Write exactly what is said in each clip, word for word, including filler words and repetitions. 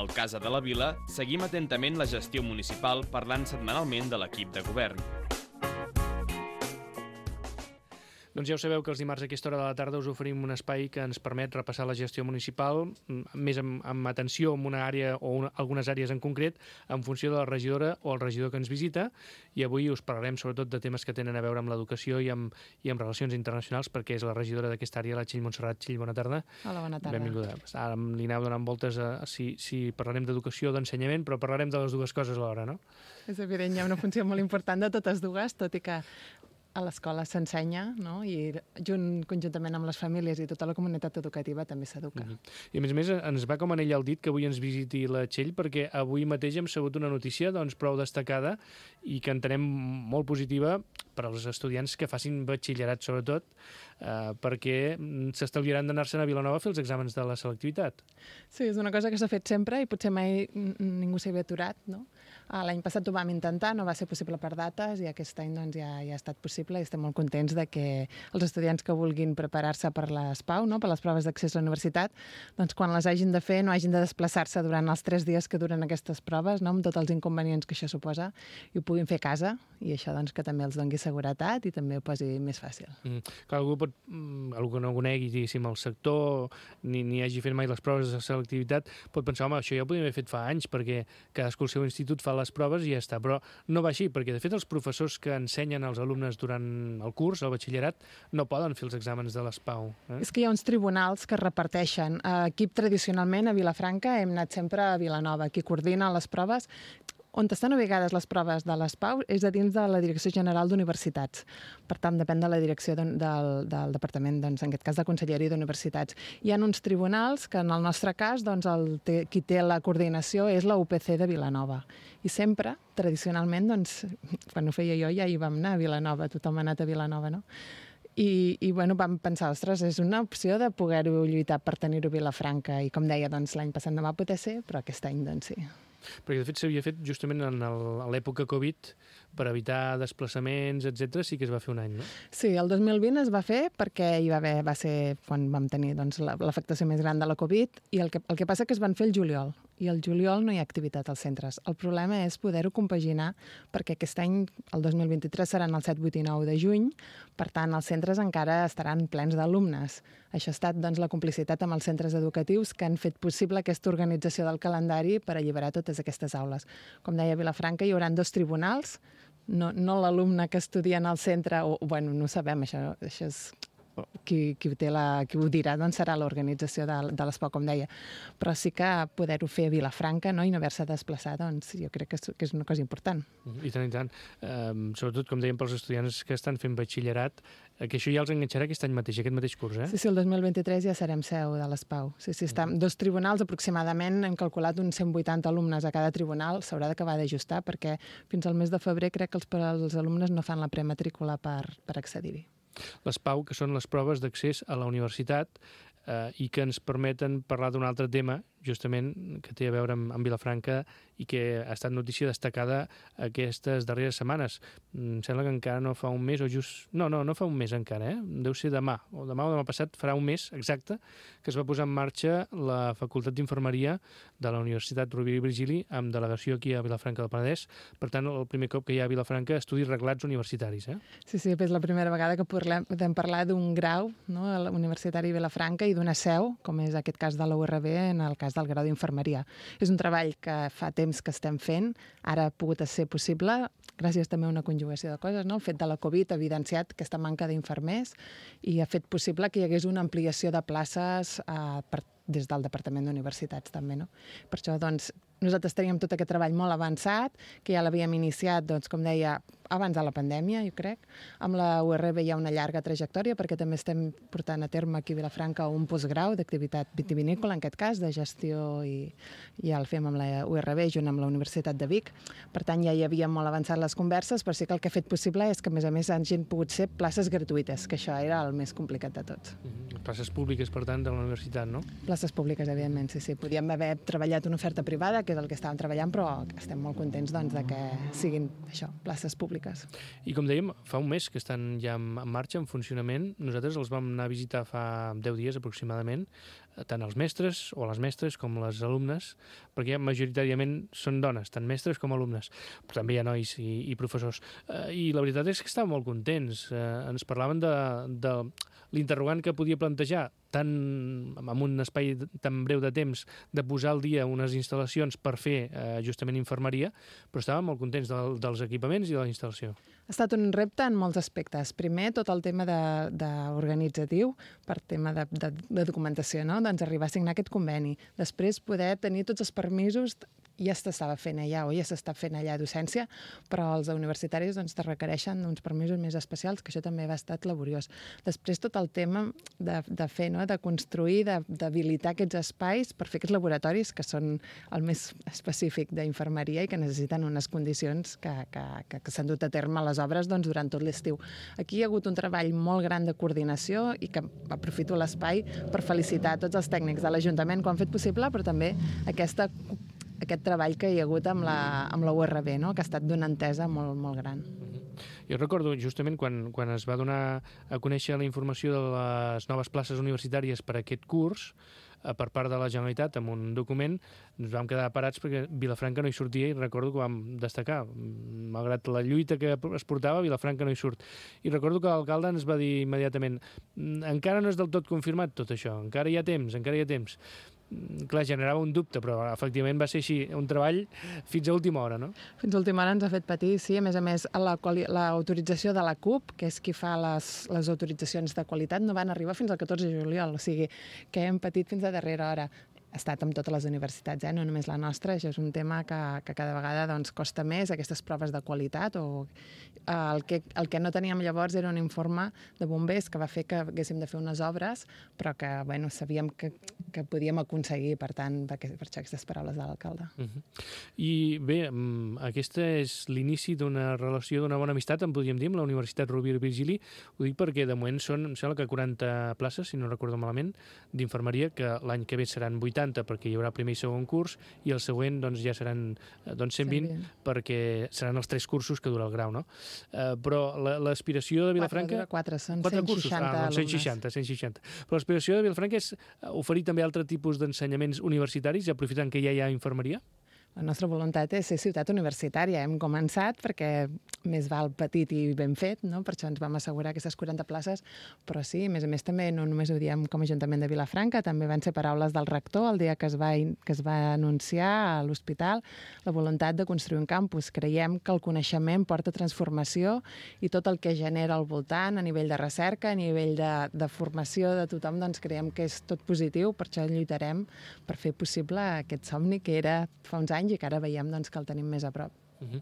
Al Casa de la Vila seguim atentament la gestió municipal parlant setmanalment de l'equip de govern. Doncs ja ho sabeu que els dimarts a aquesta hora de la tarda us oferim un espai que ens permet repassar la gestió municipal més amb, amb atenció en una àrea o una, algunes àrees en concret en funció de la regidora o el regidor que ens visita, i avui us parlarem sobretot de temes que tenen a veure amb l'educació i amb, i amb relacions internacionals, perquè és la regidora d'aquesta àrea, la Txell Montserrat. Txell, bona tarda. Hola, bona tarda. Benvinguda. Ara li aneu donant voltes a, a si, si parlarem d'educació o d'ensenyament, però parlarem de les dues coses alhora, no? És evident, hi ha una funció molt important de totes dues, tot i que a l'escola s'ensenya, no? I junt, conjuntament amb les famílies i tota la comunitat educativa també s'educa. Mm-hmm. I a més a més ens va com anell al dit que avui ens visiti la Txell, perquè avui mateix hem sabut una notícia doncs, prou destacada i que entenem molt positiva per als estudiants que facin batxillerat, sobretot, eh, perquè s'estalviaran d'anar-se'n a Vilanova a fer els exàmens de la selectivitat. Sí, és una cosa que s'ha fet sempre i potser mai ningú s'hi havia aturat, no? L'any passat ho vam intentar, no va ser possible per dates, i aquest any doncs, ja, ja ha estat possible i estem molt contents de que els estudiants que vulguin preparar-se per les PAU, no? Per les proves d'accés a la universitat, doncs quan les hagin de fer no hagin de desplaçar-se durant els tres dies que duren aquestes proves, no? Amb tots els inconvenients que això suposa, i ho puguin fer a casa, i això doncs, que també els doni seguretat i també ho posi més fàcil. Mm. Clar, algú, pot, algú que no conegui diguéssim, el sector, ni, ni hagi fet mai les proves de selectivitat, pot pensar, home, això ja ho podíem haver fet fa anys, perquè cadascú al seu institut fa les proves i ja està, però no va així, perquè de fet els professors que ensenyen als alumnes durant el curs, el batxillerat, no poden fer els exàmens de les PAU. Eh? És que hi ha uns tribunals que reparteixen. Equip tradicionalment a Vilafranca hem anat sempre a Vilanova, qui coordina les proves. On estan ubicades les proves de les PAU és a dins de la Direcció General d'Universitats. Per tant, depèn de la direcció de, del, del departament, doncs, en aquest cas de Conselleria d'Universitats. Hi ha uns tribunals que, en el nostre cas, doncs, el, qui té la coordinació és la U P C de Vilanova. I sempre, tradicionalment, doncs, quan ho feia jo ja hi vam anar a Vilanova, tothom ha anat a Vilanova, no? I, i bueno, vam pensar, ostres, és una opció de poder-ho lluitar per tenir-ho a Vilafranca, i com deia, doncs, l'any passat no va poder ser, però aquest any, doncs, sí. Perquè, de fet, s'havia fet justament en l'època Covid per evitar desplaçaments, etcètera, sí que es va fer un any, no? Sí, el dos mil vint es va fer perquè hi va haver, va ser quan vam tenir doncs, l'afectació més gran de la Covid, i el que, el que passa que es van fer el juliol, i el juliol no hi ha activitat als centres. El problema és poder-ho compaginar, perquè aquest any, el dos mil vint-i-tres, seran el set, vuit i nou de juny, per tant, els centres encara estaran plens d'alumnes. Això ha estat doncs, la complicitat amb els centres educatius que han fet possible aquesta organització del calendari per alliberar totes aquestes aules. Com deia Vilafranca, hi haurà dos tribunals, no, no l'alumne que estudia en el centre, o, bueno, no ho sabem, això, això és... Qui, qui, té la, qui ho dirà doncs serà l'organització de, de l'Es P A U, com deia, però sí que poder-ho fer a Vilafranca, no? I no haver-se desplaçat, doncs jo crec que és, que és una cosa important. I tant, i tant. Um, sobretot, com dèiem, pels estudiants que estan fent batxillerat, que això ja els enganxarà aquest any mateix, aquest mateix curs, eh? Sí, sí, el dos mil vint-i-tres ja serem seu de l'Es P A U. Sí, sí, està, dos tribunals aproximadament, hem calculat uns cent vuitanta alumnes a cada tribunal, s'haurà d'acabar d'ajustar, perquè fins al mes de febrer crec que els, els alumnes no fan la prematrícula per, per accedir-hi. Les PAU, que són les proves d'accés a la universitat, eh, i que ens permeten parlar d'un altre tema, justament, que té a veure amb, amb Vilafranca i que ha estat notícia destacada aquestes darreres setmanes. Em sembla que encara no fa un mes, o just... No, no, no fa un mes encara, eh? Deu ser demà, o demà o demà passat farà un mes exacte que es va posar en marxa la Facultat d'Infermeria de la Universitat Rovira i Virgili, amb delegació aquí a Vilafranca del Penedès. Per tant, el primer cop que hi ha a Vilafranca estudis reglats universitaris, eh? Sí, sí, és la primera vegada que podem parlar d'un grau, no?, a la Universitari de Vilafranca, i d'una seu, com és aquest cas de la U R B, en el cas del grau d'infermeria. És un treball que fa temps que estem fent, ara ha pogut ser possible, gràcies també a una conjugació de coses, no? El fet de la Covid ha evidenciat aquesta manca d'infermers i ha fet possible que hi hagués una ampliació de places eh, per, des del Departament d'Universitats també, no? Per això, doncs, nosaltres teníem tot aquest treball molt avançat, que ja l'havíem iniciat, doncs, com deia, abans de la pandèmia, jo crec. Amb la U R B hi ha una llarga trajectòria, perquè també estem portant a terme aquí a Vilafranca un postgrau d'activitat vitivinícola, en aquest cas, de gestió, i ja el fem amb la U R B, junt amb la Universitat de Vic. Per tant, ja hi havia molt avançat les converses, però sí que el que ha fet possible és que, a més a més, hagin pogut ser places gratuïtes, que això era el més complicat de tot. Mm-hmm. Places públiques, per tant, de la universitat, no? Places públiques, evidentment, sí, sí. Podíem haver treballat una oferta privada, que és el que estàvem treballant, però estem molt contents, doncs, de que siguin això, places públiques. I com dèiem, fa un mes que estan ja en marxa, en funcionament. Nosaltres els vam anar a visitar fa deu dies aproximadament. tant els mestres o les mestres com les alumnes, perquè majoritàriament són dones, tant mestres com alumnes, però també hi ha nois i, i professors. Eh, I la veritat és que estaven molt contents. Eh, ens parlaven de, de l'interrogant que podia plantejar tant amb un espai tan breu de temps de posar al dia unes instal·lacions per fer eh, justament infermeria, però estaven molt contents del, dels equipaments i de la instal·lació. Ha estat un repte en molts aspectes. Primer, tot el tema de, de organitzatiu, per tema de, de, de documentació, no? Doncs arribar a signar aquest conveni. Després, poder tenir tots els permisos, ja s'estava fent allà o ja s'està fent allà a docència, però els universitaris doncs, te requereixen uns permisos més especials, que això també va estat laboriós. Després, tot el tema de, de fer, no? De construir, d'habilitar aquests espais per fer aquests laboratoris, que són el més específic d'infermeria i que necessiten unes condicions que, que, que, que s'han dut a terme les obres doncs, durant tot l'estiu. Aquí hi ha hagut un treball molt gran de coordinació i que aprofito l'espai per felicitar tots els tècnics de l'Ajuntament que ho han fet possible, però també aquesta aquest treball que hi ha hagut amb la, amb la U R B, no? Que ha estat d'una entesa molt, molt gran. Jo recordo justament quan, quan es va donar a conèixer la informació de les noves places universitàries per a aquest curs, per part de la Generalitat, amb un document, ens vam quedar parats perquè Vilafranca no hi sortia i recordo que vam destacar. Malgrat la lluita que es portava, Vilafranca no hi surt. I recordo que l'alcalde ens va dir immediatament encara no és del tot confirmat tot això, encara hi ha temps, encara hi ha temps. Clar, generava un dubte, però efectivament va ser així, un treball fins a última hora, no? Fins a última hora ens ha fet patir, sí. A més a més, l'autorització de la C U P, que és qui fa les, les autoritzacions de qualitat, no van arribar fins al catorze de juliol, o sigui que hem patit fins a darrera hora. Ha estat amb totes les universitats, eh? No només la nostra, això és un tema que, que cada vegada doncs, costa més, aquestes proves de qualitat. O, eh, el, que, el que no teníem llavors era un informe de bombers que va fer que haguéssim de fer unes obres, però que bueno, sabíem que, que podíem aconseguir, per tant, per, per això aquestes paraules de l'alcalde. Uh-huh. I bé, aquesta és l'inici d'una relació, d'una bona amistat, en podríem dir, amb la Universitat Rovira i Virgili. Ho dic perquè de moment són, em sembla que quaranta places, si no recordo malament, d'infermeria, que l'any que ve seran vuitanta, perquè hi haurà primer i segon curs, i el següent doncs, ja seran doncs, cent vint, perquè seran els tres cursos que dura el grau, no? Uh, però l'aspiració de Vilafranca... Quatre, són quatre cent seixanta cursos. Ah, alumnes. cent seixanta, cent seixanta. Però l'aspiració de Vilafranca és oferir també altre tipus d'ensenyaments universitaris, aprofitant que ja hi ha infermeria? La nostra voluntat és ser ciutat universitària. Hem començat perquè més val petit i ben fet, no? Per això ens vam assegurar aquestes quaranta places, però sí, a més a més també no només ho diem com a Ajuntament de Vilafranca, també van ser paraules del rector el dia que es va, que es va anunciar a l'hospital la voluntat de construir un campus. Creiem que el coneixement porta transformació i tot el que genera al voltant a nivell de recerca, a nivell de, de formació de tothom, doncs creiem que és tot positiu, per això lluitarem per fer possible aquest somni que era fa uns anys i que ara veiem doncs, que el tenim més a prop. Uh-huh.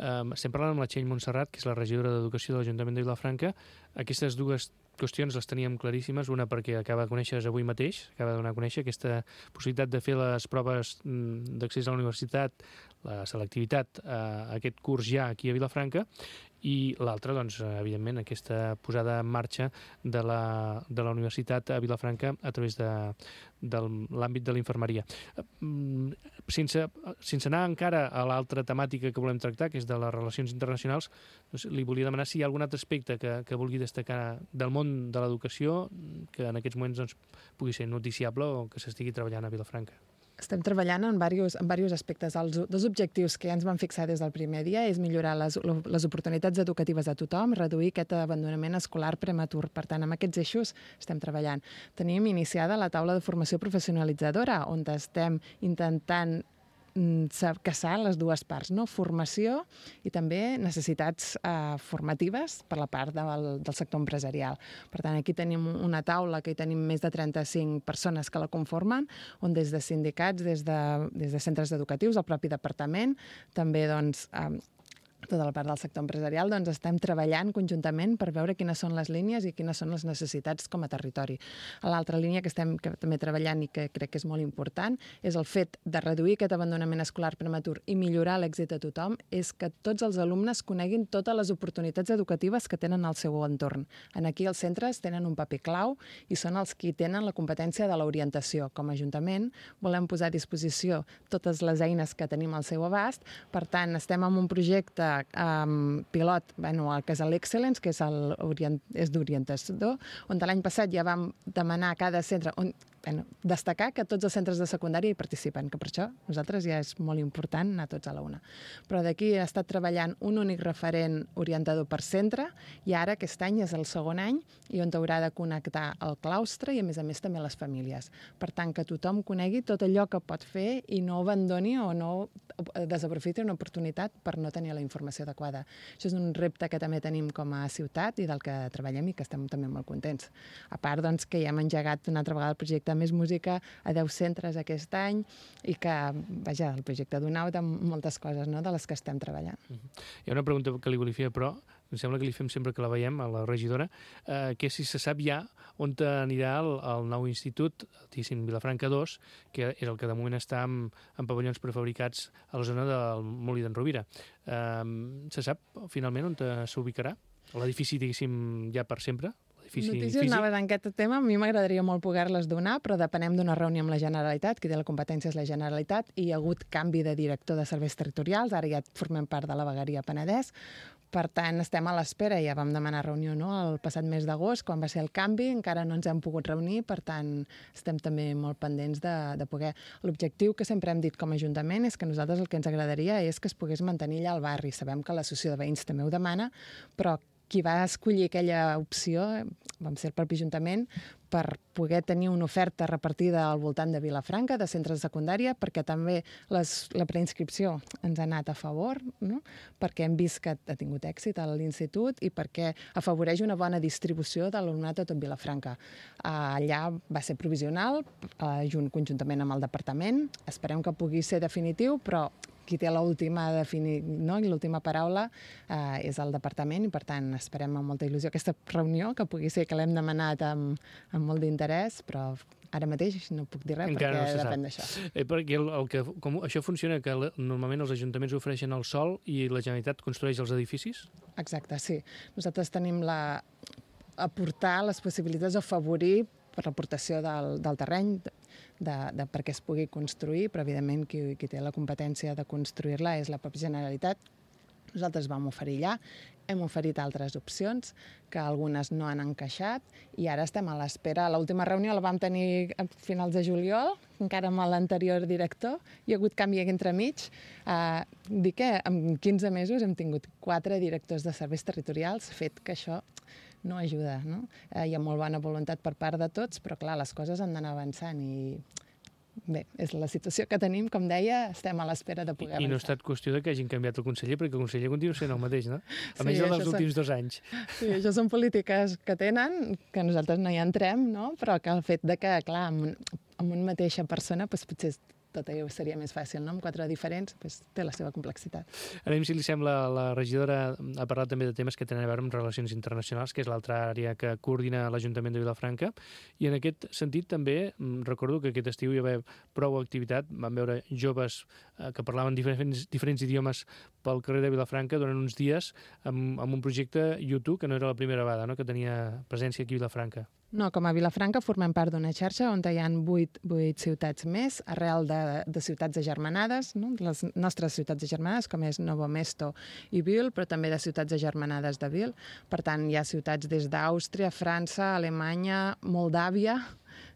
um, estem parlant amb la Txell Montserrat, que és la regidora d'Educació de l'Ajuntament de Vilafranca. Aquestes dues qüestions les teníem claríssimes, una perquè acaba de conèixer avui mateix, acaba de donar a conèixer aquesta possibilitat de fer les proves d'accés a la universitat, la selectivitat a aquest curs ja aquí a Vilafranca, i l'altra, doncs, evidentment, aquesta posada en marxa de la, de la universitat a Vilafranca a través de, de l'àmbit de la infermeria. Sense, sense anar encara a l'altra temàtica que volem tractar, que és de les relacions internacionals, doncs, li volia demanar si hi ha algun altre aspecte que, que vulgui destacar del món de l'educació que en aquests moments doncs, pugui ser noticiable o que s'estigui treballant a Vilafranca. Estem treballant en diversos, en diversos aspectes. Els dos objectius que ja ens vam fixar des del primer dia és millorar les, les oportunitats educatives de tothom, reduir aquest abandonament escolar prematur. Per tant, amb aquests eixos estem treballant. Tenim iniciada la taula de formació professionalitzadora, on estem intentant caçar les dues parts, no? Formació i també necessitats eh, formatives per la part del, del sector empresarial. Per tant, aquí tenim una taula que hi tenim més de trenta-cinc persones que la conformen, on des de sindicats, des de, des de centres educatius, el propi departament, també doncs, eh, tota la part del sector empresarial, doncs estem treballant conjuntament per veure quines són les línies i quines són les necessitats com a territori. L'altra línia que estem que també treballant i que crec que és molt important és el fet de reduir aquest abandonament escolar prematur i millorar l'èxit de tothom, és que tots els alumnes coneguin totes les oportunitats educatives que tenen al seu entorn. En aquí els centres tenen un paper clau i són els qui tenen la competència de l'orientació. Com a Ajuntament volem posar a disposició totes les eines que tenim al seu abast, per tant estem en un projecte Um, pilot, bueno, el que és l'Excellence, que és, el, és d'orientació, on l'any passat ja vam demanar a cada centre, on bueno, destacar que tots els centres de secundària hi participen, que per això nosaltres ja és molt important anar tots a la una. Però d'aquí ha estat treballant un únic referent orientador per centre i ara aquest any és el segon any i on haurà de connectar el claustre i a més a més també les famílies. Per tant, que tothom conegui tot allò que pot fer i no abandoni o no desaprofiti una oportunitat per no tenir la informació adequada. Això és un repte que també tenim com a ciutat i del que treballem i que estem també molt contents. A part, doncs, que ja hem engegat una altra vegada el projecte Més Música a deu centres aquest any i que, vaja, el projecte d'UNAU de moltes coses, no?, de les que estem treballant. Uh-huh. Hi ha una pregunta que li volia fer, però em sembla que li fem sempre que la veiem, a la regidora, eh, que si se sap ja on anirà el, el nou institut, diguéssim, Vilafranca dos, que és el que de moment està en, en pavellons prefabricats a la zona del Molí d'en Rovira. Eh, se sap finalment on s'ubicarà? L'edifici, diguéssim, ja per sempre? Notícies noves en aquest tema, a mi m'agradaria molt poder-les donar, però depenem d'una reunió amb la Generalitat, qui té la competència és la Generalitat, i hi ha hagut canvi de director de serveis territorials, ara ja formem part de la vegueria Penedès, per tant, estem a l'espera, ja vam demanar reunió, no?, el passat mes d'agost, quan va ser el canvi, encara no ens hem pogut reunir, per tant, estem també molt pendents de, de poder... L'objectiu que sempre hem dit com a Ajuntament és que nosaltres el que ens agradaria és que es pogués mantenir allà al barri. Sabem que l'associació de veïns també ho demana, però qui va escollir aquella opció vam ser el propi Ajuntament per poder tenir una oferta repartida al voltant de Vilafranca, de centres de secundària, perquè també les, la preinscripció ens ha anat a favor, no?, perquè hem vist que ha tingut èxit a l'institut i perquè afavoreix una bona distribució de l'alumnat a tot Vilafranca. Allà va ser provisional, junt conjuntament amb el departament. Esperem que pugui ser definitiu, però qui té l'última defini... no? I l'última paraula eh, és el departament i, per tant, esperem amb molta il·lusió aquesta reunió, que pugui ser que l'hem demanat amb, amb molt d'interès, però ara mateix no puc dir res encara perquè no depèn d'això. Eh, perquè el, el que, com això funciona, que normalment els ajuntaments ofereixen el sòl i la Generalitat construeix els edificis? Exacte, sí. Nosaltres tenim la... aportar les possibilitats d'afavorir per l'aportació del, del terreny, de, de perquè es pugui construir, però evidentment qui, qui té la competència de construir-la és la pròpia Generalitat. Nosaltres vam oferir allà, hem oferit altres opcions, que algunes no han encaixat, i ara estem a l'espera. L'última reunió la vam tenir a finals de juliol, encara amb l'anterior director, hi ha hagut canvi entremig. Eh, dic que en quinze mesos hem tingut quatre directors de serveis territorials, fet que això no ajuda, no? Eh, hi ha molt bona voluntat per part de tots, però clar, les coses han d'anar avançant i bé, és la situació que tenim, com deia, estem a l'espera de poder I, avançar. I no ha estat qüestió de que hagin canviat el conseller, perquè el conseller continua sent el mateix, no? A Sí, més dels això últims són- dos anys. Sí, això són polítiques que tenen, que nosaltres no hi entrem, no? Però que el fet de que, clar, amb, un, amb una mateixa persona, doncs, potser tot allò seria més fàcil, no? Amb quatre diferents, doncs, té la seva complexitat. Anem, si li sembla, la regidora ha parlat també de temes que tenen a veure amb relacions internacionals, que és l'altra àrea que coordina l'Ajuntament de Vilafranca, i en aquest sentit també recordo que aquest estiu hi va haver prou activitat, vam veure joves eh, que parlaven diferents, diferents idiomes pel carrer de Vilafranca durant uns dies amb, amb un projecte YouTube, que no era la primera vegada, no?, que tenia presència aquí a Vilafranca. No, com a Vilafranca formem part d'una xarxa on hi ha vuit, vuit ciutats més, arrel de, de ciutats agermanades, no? Les nostres ciutats agermanades, com és Novo Mesto i Vil, però també de ciutats agermanades de Vil. Per tant, hi ha ciutats des d'Àustria, França, Alemanya, Moldàvia,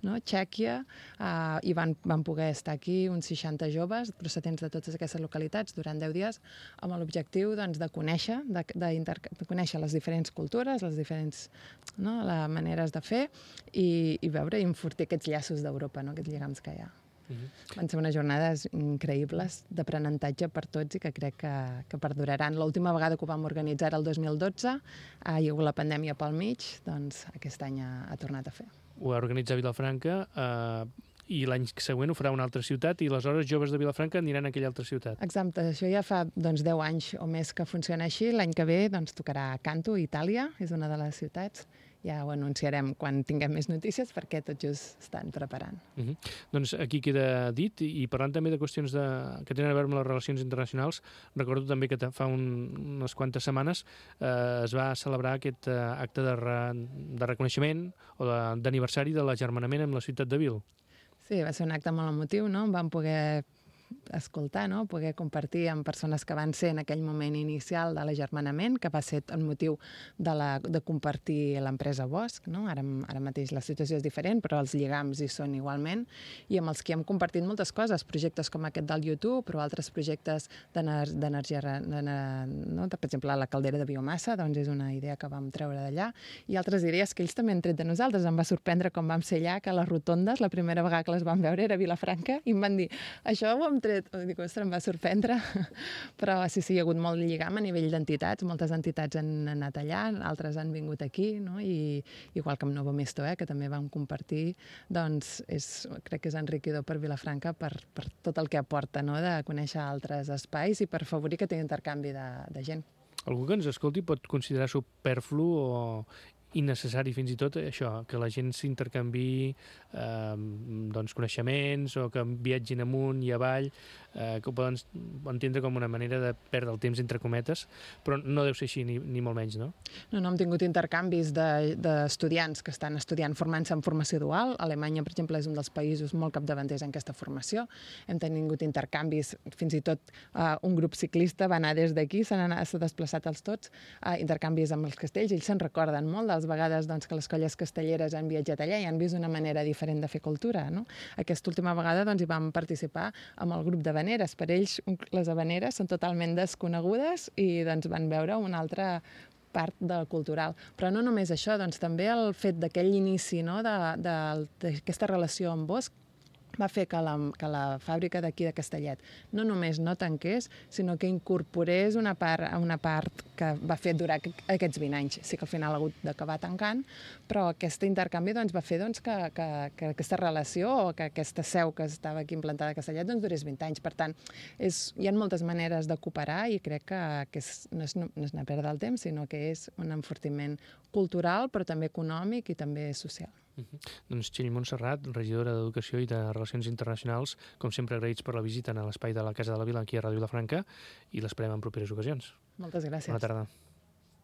no? Txèquia, eh, i van, van poder estar aquí uns seixanta joves procedents de totes aquestes localitats durant deu dies amb l'objectiu, doncs, de conèixer de, de, de conèixer les diferents cultures, les diferents, no?, les maneres de fer i, i veure i enfortir aquests llaços d'Europa, no?, aquests lligams que hi ha. Uh-huh. Van ser unes jornades increïbles d'aprenentatge per tots i que crec que, que perduraran. L'última vegada que ho vam organitzar era el dos mil dotze, eh, hi ha hagut la pandèmia pel mig, doncs aquest any ha, ha tornat a fer. Ho va organitzar Vilafranca eh, i l'any següent ho farà una altra ciutat i aleshores joves de Vilafranca aniran a aquella altra ciutat. Exacte, això ja fa doncs, deu anys o més que funciona així. L'any que ve doncs, tocarà Canto, Itàlia, és una de les ciutats. Ja ho anunciarem quan tinguem més notícies perquè tot just estan preparant. Uh-huh. Doncs aquí queda dit, i parlant també de qüestions de, que tenen a veure amb les relacions internacionals, recordo també que fa un, unes quantes setmanes eh, es va celebrar aquest eh, acte de, re, de reconeixement o d'aniversari de, de l'agermanament amb la ciutat de Vil. Sí, va ser un acte molt emotiu, no? Vam poder escoltar, no? Poder compartir amb persones que van ser en aquell moment inicial de l'agermanament, que va ser el motiu de, la, de compartir l'empresa Bosch, no? Ara, ara mateix la situació és diferent, però els lligams hi són igualment, i amb els que hem compartit moltes coses, projectes com aquest del YouTube, però altres projectes d'energia, no? Per exemple, la caldera de biomassa, doncs és una idea que vam treure d'allà, i altres idees que ells també han tret de nosaltres. Em va sorprendre com vam ser allà, que les rotondes, la primera vegada que les vam veure era a Vilafranca, i em van dir, això ho hem tret. Dic, ostres, em va sorprendre. Però sí, sí, hi ha hagut molt lligam a nivell d'entitats, moltes entitats han anat allà, altres han vingut aquí, no? I igual que amb Novo Mesto, eh, que també vam compartir, doncs és, crec que és enriquidor per Vilafranca per, per tot el que aporta, no? De conèixer altres espais i per afavorir que tingui intercanvi de, de gent. Algú que ens escolti pot considerar superflu o innecessari fins i tot això, que la gent s'intercanviï eh, doncs, coneixements o que viatgin amunt i avall, eh, que ho poden entendre com una manera de perdre el temps entre cometes, però no deu ser així ni, ni molt menys, no? No, no, hem tingut intercanvis d'estudiants de, que estan estudiant formant-se en formació dual. Alemanya, per exemple, és un dels països molt capdavanters en aquesta formació. Hem tingut intercanvis, fins i tot eh, un grup ciclista va anar des d'aquí, s'han desplaçat els tots, eh, intercanvis amb els castells, ells se'n recorden molt dels vegades doncs, que les colles castelleres han viatjat allà i han vist una manera diferent de fer cultura. No? Aquesta última vegada doncs, hi vam participar amb el grup d'havaneres. Per ells les havaneres són totalment desconegudes i doncs, van veure una altra part del cultural. Però no només això, doncs, també el fet d'aquell inici, no? d'aquesta relació amb Bosch va fer que la, que la fàbrica d'aquí de Castellet no només no tanqués, sinó que incorporés una part, una part que va fer durar aquests vint anys. Sí que al final ha hagut d'acabar tancant, però aquest intercanvi doncs, va fer doncs, que, que, que aquesta relació o que aquesta seu que estava aquí implantada a Castellet doncs, durés vint anys. Per tant, és, hi ha moltes maneres de cooperar i crec que, que és, no és, no és anar a perdre el temps, sinó que és un enfortiment cultural, però també econòmic i també social. Uh-huh. Doncs Txell Montserrat, regidora d'Educació i de Relacions Internacionals, com sempre agraïts per la visita a l'espai de la Casa de la Vila aquí a Ràdio Vilafranca i l'esperem en properes ocasions. Moltes gràcies. Bona tarda.